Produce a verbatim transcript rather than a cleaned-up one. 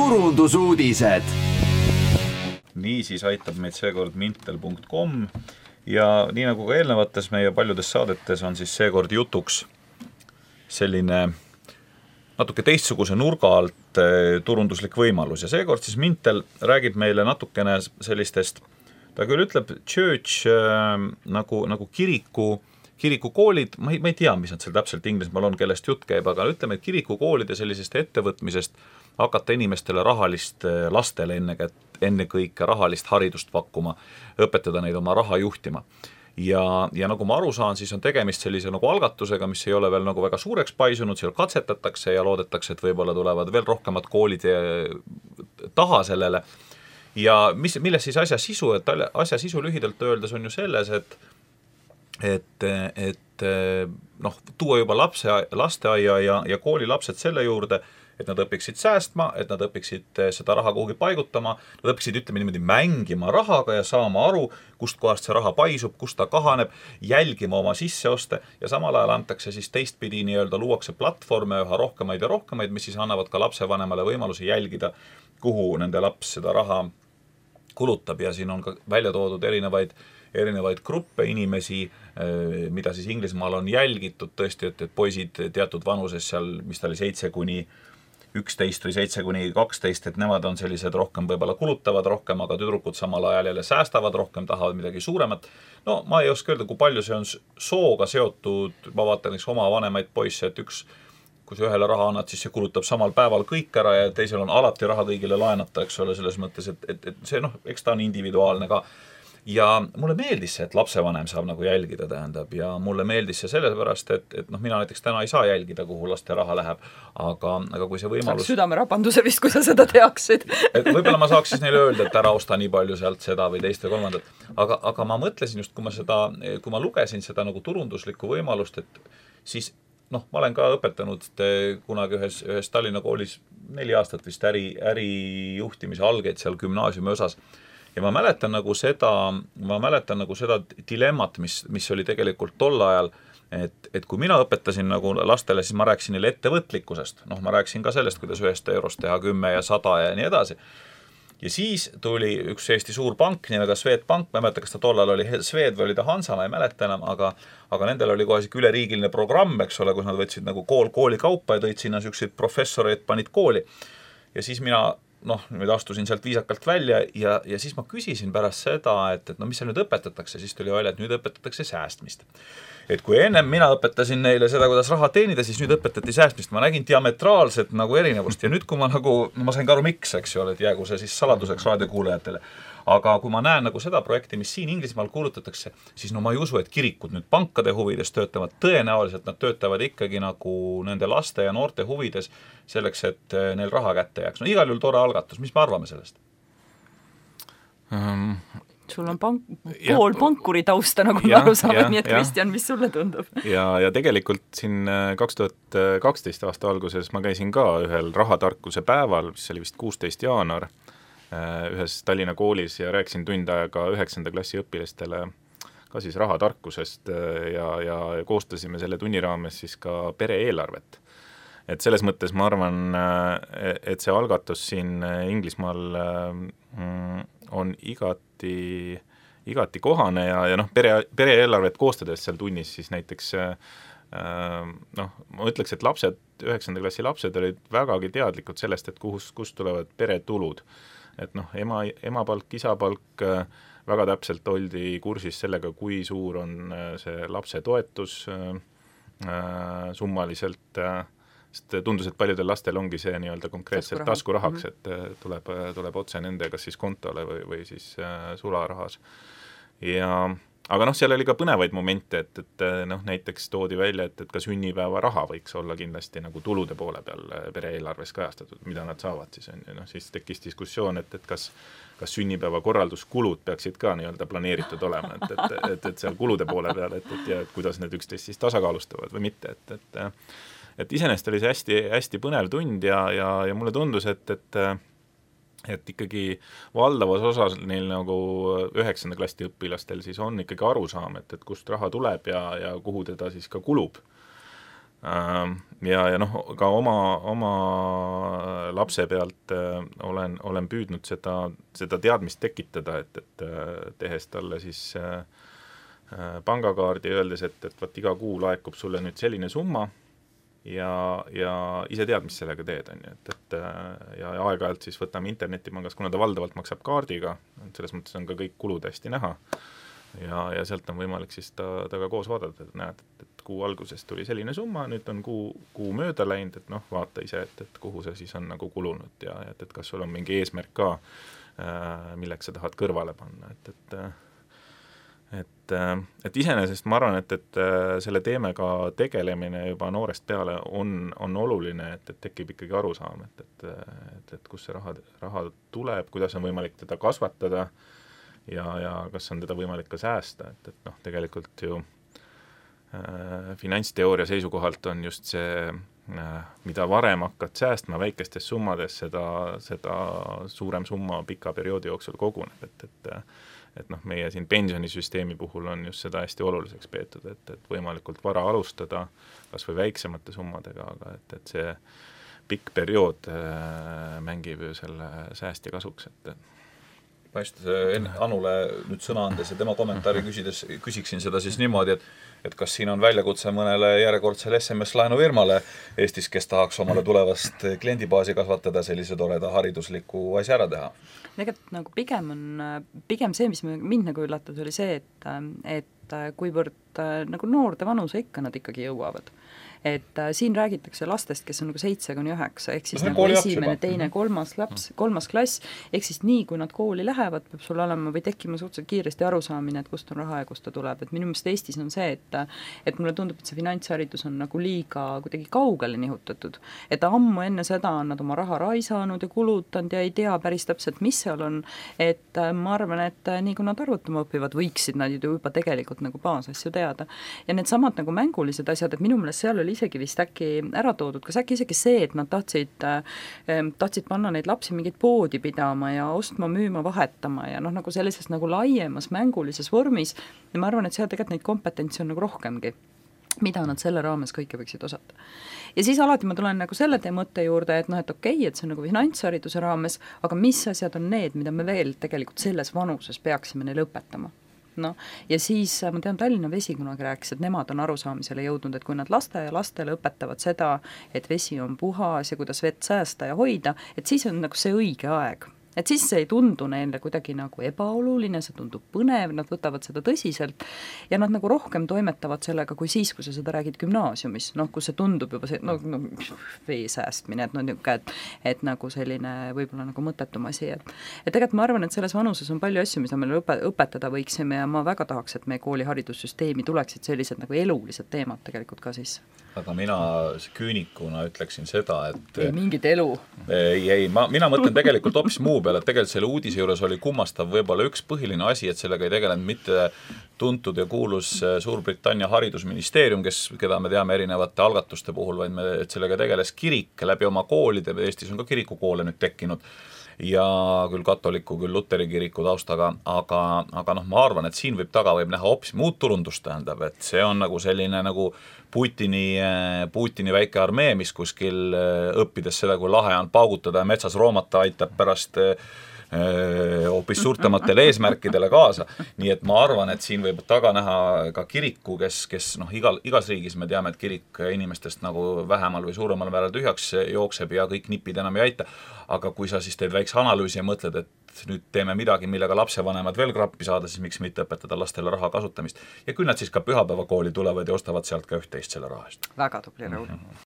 turundusuudised. Niisiis aitab meid seekord mintel punkt com ja nii nagu ka eelnevates meie paljudes saadetes on siis seekord jutuks selline natuke teistsuguse nurga alt turunduslik võimalus ja seekord siis Mintel räägib meile natukene sellistest, ta küll ütleb church äh, nagu, nagu kiriku, kirikukoolid, ma ei, ma ei tea, mis nad seal täpselt Inglismaal on, kellest jutt käib, aga ütleme, et kirikukoolide sellisest ettevõtmisest hakata inimestele rahalist, lastele enne, enne kõike rahalist haridust pakkuma, õpetada neid oma raha juhtima. Ja, ja nagu ma aru saan, siis on tegemist sellise nagu algatusega, mis ei ole veel nagu väga suureks paisunud, seal katsetatakse ja loodetakse, et võib-olla tulevad veel rohkemad koolid taha sellele. Ja mis, milles siis asja sisu, et asja sisu lühidalt öeldes on ju selles, et, et, et noh, tuua juba lapse, lasteaia ja, ja kooli lapsed selle juurde, et nad õpiksid säästma, et nad õpiksid seda raha kuhugi paigutama, nad õpiksid ütleme niimoodi mängima rahaga ja saama aru, kust kohast see raha paisub, kust ta kahaneb, jälgima oma sisseoste ja samal ajal antakse siis teistpidi nii-öelda luuakse platvorme üha rohkemaid ja rohkemaid, mis siis annavad ka lapsevanemale võimaluse jälgida, kuhu nende laps seda raha kulutab ja siin on ka välja toodud erinevaid erinevaid gruppe inimesi, mida siis Inglismaal on jälgitud tõesti, et, et poisid teatud vanuses seal, mis ta oli seitse kuni üksteist või seitse kuni kaksteist, et nemad on sellised rohkem võib-olla kulutavad rohkem, aga tüdrukud samal ajal jälle säästavad rohkem, tahavad midagi suuremat. No ma ei oska öelda, kui palju see on sooga seotud, ma vaatan eks oma vanemaid poisse, et üks, kui see ühele raha annad, siis see kulutab samal päeval kõik ära ja teisel on alati raha kõigile laenata, eks ole, selles mõttes, et, et, et see noh, eks ta on individuaalne ka. Ja mulle meeldis see, et lapsevanem saab nagu jälgida, tähendab, ja mulle meeldis see sellepärast, et, et noh, mina näiteks täna ei saa jälgida, kuhu laste raha läheb, aga, aga kui see võimalus... Saaks südamerapanduse vist, kui sa seda teaksid. Et võib-olla ma saaks siis neile öelda, et ära osta nii palju sealt seda või teist või kolmandat, aga, aga ma mõtlesin just, kui ma, seda, kui ma lugesin seda nagu turunduslikku võimalust, et siis noh, ma olen ka õpetanud kunagi ühes, ühes Tallinna koolis neli aastat vist äri, ärijuhtimise algeid seal gümnaasiumi osas. Ja ma mäletan nagu seda, ma mäletan nagu seda dilemmat, mis, mis oli tegelikult tol ajal, et, et kui mina õpetasin nagu lastele, siis ma rääkisin neile ettevõtlikkusest. Noh, ma rääkisin ka sellest, kuidas ühest eurost teha kümme ja sada ja nii edasi. Ja siis tuli üks Eesti suur pank, nimega Swedbank, ma ei mäleta, kas ta tol ajal oli Swed või oli ta Hansa, ma ei mäleta enam, aga, aga nendel oli kohe üleriigiline programm, eks ole, kus nad võtsid nagu kool kooli kaupa ja tõid sinna sükseid professoreid, panid kooli. Ja siis mina noh, nüüd astusin sealt viisakalt välja ja, ja siis ma küsisin pärast seda, et, et no mis seal nüüd õpetatakse, siis tuli välja, et nüüd õpetatakse säästmist. Et kui ennem mina õpetasin neile seda, kuidas raha teenida, siis nüüd õpetati säästmist. Ma nägin diametraalset nagu erinevust ja nüüd, kui ma nagu, ma sain ka aru miks, eks ju ole, et jäägu see siis saladuseks raadiokuulajatele. Aga kui ma näen nagu seda projekti, mis siin Inglismaal kuulutatakse, siis no ma ei usu, et kirikud nüüd pankade huvides töötavad. Tõenäoliselt nad töötavad ikkagi nagu nende laste ja noorte huvides selleks, et neil raha kätte jääks. No igal juhul tore algatus. Mis me arvame sellest? Um, Sul on pank, pool pankuri tausta, nagu ma aru saame, nii et Kristjan, mis sulle tundub? Ja, ja tegelikult siin kaks tuhat kaksteist aasta alguses ma käisin ka ühel rahatarkuse päeval, mis oli vist kuusteist jaanuar, ühes Tallinna koolis ja rääkisin tund aega üheksanda klassi õpilastele ka siis rahatarkusest ja, ja koostasime selle tunni raames siis ka pere-eelarvet. Et selles mõttes ma arvan, et see algatus siin Inglismaal on igati, igati kohane ja, ja noh, pere, pere-eelarvet koostades seal tunnis siis näiteks noh, ma ütleks, et lapsed, üheksanda klassi lapsed olid vägagi teadlikud sellest, et kus, kust tulevad peretulud. Et noh, ema, emapalk, isapalk väga täpselt oldi kursis sellega, kui suur on see lapse toetus summaliselt, sest tundus, et paljudel lastel ongi see nii-öelda konkreetselt taskurahaks, et tuleb, tuleb otse nende kas siis kontole või, või siis sularahas. Ja aga noh, seal oli ka põnevaid momente, et, et noh, näiteks toodi välja, et, et ka sünnipäeva raha võiks olla kindlasti nagu tulude poole peal pere-eelarves kajastatud, mida nad saavad siis. No, siis tekkis diskussioon, et, et kas, kas sünnipäeva korralduskulud peaksid ka nii-öelda planeeritud olema, et, et, et, et seal kulude poole peal, et, et ja et kuidas need üksteist siis tasakaalustavad või mitte. Et, et, et iseenesest oli see hästi, hästi põnev tund ja, ja, ja mulle tundus, et, et et ikkagi valdavas osas neil nagu üheksanda klassi õpilastel siis on ikkagi arusaam, et, et kust raha tuleb ja, ja kuhu teda siis ka kulub. Ja, ja noh, ka oma, oma lapse pealt olen, olen püüdnud seda, seda teadmist tekitada, et, et tehes talle siis pangakaardi öeldes, et, et võt iga kuu laekub sulle nüüd selline summa ja, ja ise tead, mis sellega teed, on ju, et, et ja aeg-ajalt siis võtame internetipangas, kuna ta valdavalt maksab kaardiga, selles mõttes on ka kõik kulud hästi näha ja, ja sealt on võimalik siis ta, ta ka koos vaadata, et näed, et, et kuu algusest tuli selline summa, nüüd on kuu, kuu mööda läinud, et noh, vaata ise, et, et kuhu see siis on nagu kulunud ja et, et kas sul on mingi eesmärk ka, milleks sa tahad kõrvale panna, et, et et, et iseenesest ma arvan, et, et selle teemega tegelemine juba noorest peale on, on oluline, et, et tekib ikkagi arusaam, et, et, et, et kus see raha, raha tuleb, kuidas on võimalik teda kasvatada ja, ja kas on teda võimalik ka säästa, et, et noh, tegelikult ju äh, finantsteooria seisukohalt on just see, äh, mida varem hakkad säästma väikestes summades, seda, seda suurem summa pika perioodi jooksul koguneb, et, et et noh, meie siin pensionisüsteemi puhul on just seda hästi oluliseks peetud, et, et võimalikult vara alustada kas või väiksemate summadega, aga et, et see pikk periood äh, mängib ju selle säästja kasuks, et ma just enne Anule nüüd sõna andes ja tema kommentaari küsides küsiksin seda siis niimoodi, et et kas siin on väljakutse mõnele järjekordsele S M S-laenufirmale Eestis, kes tahaks omale tulevast kliendibaasi kasvatada, sellise toreda haridusliku asja ära teha? Tegelikult nagu pigem on, pigem see, mis mind nagu üllatas, oli see, et, et kuivõrd nagu noorde vanuse ikka nad ikkagi jõuavad. Et äh, siin räägitakse lastest, kes on nagu seitse kuni üheksa, ehk siis no, nagu esimene, teine, kolmas laps, kolmas klass, ehk siis nii, kui nad kooli lähevad, peab sul olema või tekkima suhteliselt kiiresti arusaamine, et kust on raha ja kust ta tuleb, et minu meelest Eestis on see, et et mulle tundub, et see finantsharidus on nagu liiga kuidagi kaugele nihutatud, et ammu enne seda on nad oma raha raisanud ja kulutanud ja ei tea päris täpselt, mis seal on, et äh, ma arvan, et äh, nii kui nad arvutama õpivad, võiksid nad ju juba tegelikult nagu baasasju teada. Ja need samad nagu mängulised asjad, et minu meelest seal oli isegi vist äkki ära toodud, kas äkki isegi see, et nad tahtsid, äh, tahtsid panna neid lapsi mingit poodi pidama ja ostma, müüma, vahetama ja noh, nagu sellises nagu laiemas mängulises vormis ja ma arvan, et seal tegelikult neid kompetentsi on nagu rohkemgi, mida nad selle raames kõike võiksid osata. Ja siis alati ma tulen nagu selle tee mõtte juurde, et noh, et okei, et see on nagu finantshariduse raames, aga mis asjad on need, mida me veel tegelikult selles vanuses peaksime neile õpetama? No, ja siis ma tean, Tallinna Vesi kunagi rääkis, et nemad on arusaamisele jõudnud, et kui nad laste ja lastele õpetavad seda, et vesi on puhas ja kuidas vett säästa ja hoida, et siis on nagu see õige aeg. Et siis see ei tundu neile kuidagi nagu ebaoluline, see tundub põnev, nad võtavad seda tõsiselt ja nad nagu rohkem toimetavad sellega kui siis, kui sa seda räägid gümnaasiumis, noh, kus see tundub juba see, no, no vee säästmine, et, no, et, et nagu selline võib-olla nagu mõttetum asi, et, et tegelikult ma arvan, et selles vanuses on palju asju, mida me õpe, õpetada võiksime ja ma väga tahaks, et meie kooliharidussüsteemi tuleksid sellised nagu elulised teemad tegelikult ka sisse. Aga mina küünikuna ütleksin seda, et ei mingit elu. Ei, ei, ma, mina mõtlen tegelikult hoopis muu peale, et tegelikult selle uudise juures oli kummastav võib-olla üks põhiline asi, et sellega ei tegelenud mitte tuntud ja kuulus Suurbritannia haridusministeerium, kes, keda me teame erinevate algatuste puhul, vaid me, et sellega tegeles kirik läbi oma koolide, Eestis on ka kirikukoole nüüd tekkinud ja küll katoliku, küll luteri kiriku taustaga, aga, aga noh, ma arvan, et siin võib taga võib näha hoopis muud turundust, tähendab, et see on nagu selline nagu Putini, Putini väike armee, mis kuskil õppides seda, kui lahe on paugutada ja metsas roomata, aitab pärast hoopis suurtematele eesmärkidele kaasa. Nii et ma arvan, et siin võib taga näha ka kiriku, kes, kes noh, igal, igas riigis me teame, et kirik inimestest nagu vähemal või suuremal määral tühjaks jookseb ja kõik nipid enam ei aita. Aga kui sa siis teed väikse analüüsi ja mõtled, et nüüd teeme midagi, millega lapsevanemad veel krappi saada, siis miks mitte õpetada lastele raha kasutamist. Ja küll nad siis ka pühapäevakooli tulevad ja ostavad sealt ka üht-teist selle rahast. Väga tubli, Raul.